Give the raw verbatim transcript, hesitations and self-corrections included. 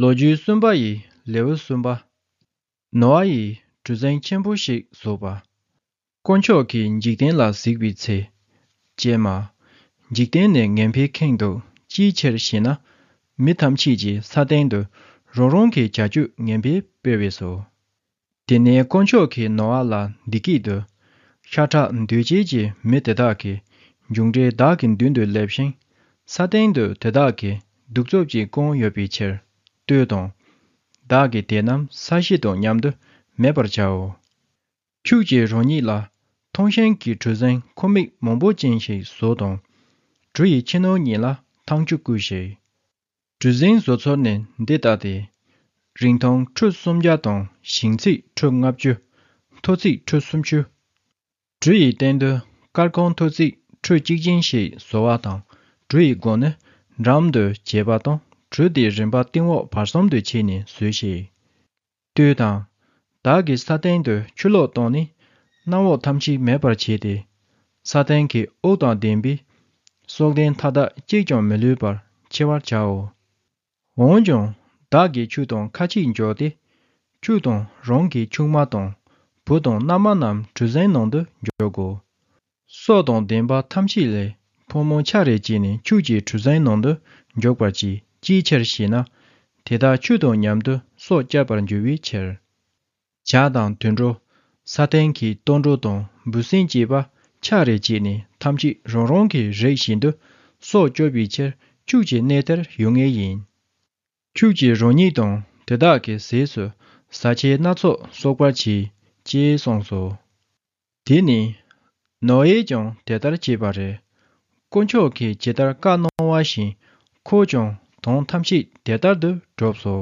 ལོ་རྒྱུས་གསུམ་པ་ཡི་ལེའུ་གསུམ་པ། ནོ་ཨ་ཡིས་གྲུ་གཟིངས་ཆེན་པོ་ཞིག་བཟོས་པ། དཀོན་མཆོག་གིས་འཇིག་རྟེན་ལ་གཟིགས་པའི་ཚེ། ཀྱེ་མ། འཇིག་རྟེན་ནི་ངན་པས་ཁེངས་འདུག་ཅིའི་ཕྱིར་ཞེ་ན། མི་ཐམས་ཅད་ཀྱིས་ས་སྟེང་དུ་རང་རང་གི་བྱ་སྤྱོད་ངན་པ་སྤེལ་བས་སོ། དེ་ནས་དཀོན་མཆོག་གིས་ནོ་ཨ་ལ་འདི་སྐད་དུ། ཤ་ཁྲག་འདུས་བྱས་ཀྱི་མི་དེ་དག་གི་མཇུག་འབྲས་བདག་གི་མདུན་དུ་སླེབས་ཤིང་། ས་སྟེང་དུ་དེ་དག་གི་གདུག་རྩུབ་ཀྱིས་བཀང་ཡོད་པའི་ཕྱིར་ལྟོས་དང་། བདག་གིས་དེ་རྣམས་ས་གཞི་དང་མཉམ་དུ་མེད་པར་བྱའོ། ཁྱོད་ཀྱིས་རང་ཉིད་ལ་ཐང་ཤིང་གི་གྲུ་གཟིངས་ཁང་མིག་མང་པོ་ཅན་ཞིག་བཟོ་དང་། གྲུ་ཡི་ཕྱི་ནང་གཉིས་ལ་ཐང་ཆུ་བསྐུས་ཤིག་གྲུ་གཟིངས་བཟོ་ཚུལ་ནི་འདི་ལྟ་སྟེ། རིང་ཐུང་ཁྲུ་སུམ་བརྒྱ་དང་ཞེང་ཚད་ཁྲུ་ལྔ་བཅུ། མཐོ་ཚད་ཁྲུ་སུམ་ཅུ། གྲུ་ཡི་སྟེང་དུ་སྐར་ཁུང་མཐོ་ཚད་ཁྲུ་གཅིག་ཅན་ཞིག་བཟོ་བ་དང་། གྲུ་ཡི་སྒོ་ནི་འགྲམ་དུ་བྱས་པ་དང་། གྲུ་དེའི་རིམ་པ་སྟེང་འོག་བར་གསུམ་དུ་ཕྱེ་ནས་བཟོས་ཤིག་ལྟོས་དང་། བདག་གིས་ས་སྟེང་དུ་ཆུ་ལོག་བཏང་ནས་གནམ་འོག་ཐམས་ཅད་མེད་པར་བྱས་ཏེ། ས་སྟེང་གི་དབུགས་དང་ལྡན་པའི་སྲོག་ལྡན་མཐའ་དག་གཅིག་ཀྱང་མི་ལུས་པར་འཆི་བར་བྱའོ། འོན་ཀྱང་བདག་གིས་ཁྱོད་དང་ཁ་ཆད་འཇོག་སྟེ། ཁྱོད་དང་རང་གི་ཆུང་མ་དང་བུ་དང་མནའ་མ་རྣམས་གྲུ་གཟིངས་ནང་དུ་འཇོག་གོ། སྲོག་དང་ལྡན་པ་ཐམས་ཅད་ལས་ཕོ་མོ་ཆ་རེ་བྱས་ནས་ཁྱོད་ཀྱི་གྲུ་གཟིངས་ནང་དུ་འཇོག་པར་གྱིས། ཅིའི་ཕྱིར་ཞེ་ན། དེ་དག་ཁྱོད་དང་མཉམ་དུ་སྲོག་བསྐྱབ་པར་འགྱུར་བའི་ཕྱིར། བྱ་དང་དུད་འགྲོ། ས་སྟེང་གི་ལྟོ་འགྲོ་དང་འབུ་སྲིན་བཅས་པ་ཆ་རེ་བྱས་ནས་ཐམས་ཅད་རང་རང་གི་རིགས་བཞིན་དུ་སྲོག་སྐྱོབ་པའི་ཕྱིར་ཁྱོད་ཀྱི་གནས་དེར་ཡོང་ངེས་ཡིན། ཁྱོད་ཀྱིས་རང་ཉིད་དང་དེ་དག་གི་ཟས་སུ་བཟའ་ཆས་སྣ་ཚོགས་གསོག་པར་གྱིས། ཅེས་གསུངས་སོ། དེ་ནས་ནོ་ཨེས་ཀྱང་དེ་ལྟར་བྱས་པ་རེད། དཀོན་མཆོག་གིས་ཇི་ལྟར་བཀའ་གནང་བ་བཞིན་ཁོས་ཀྱང་དོན་ཐམས་ཅད་དེ་ལྟར་དུ་བསྒྲུབས་སོ།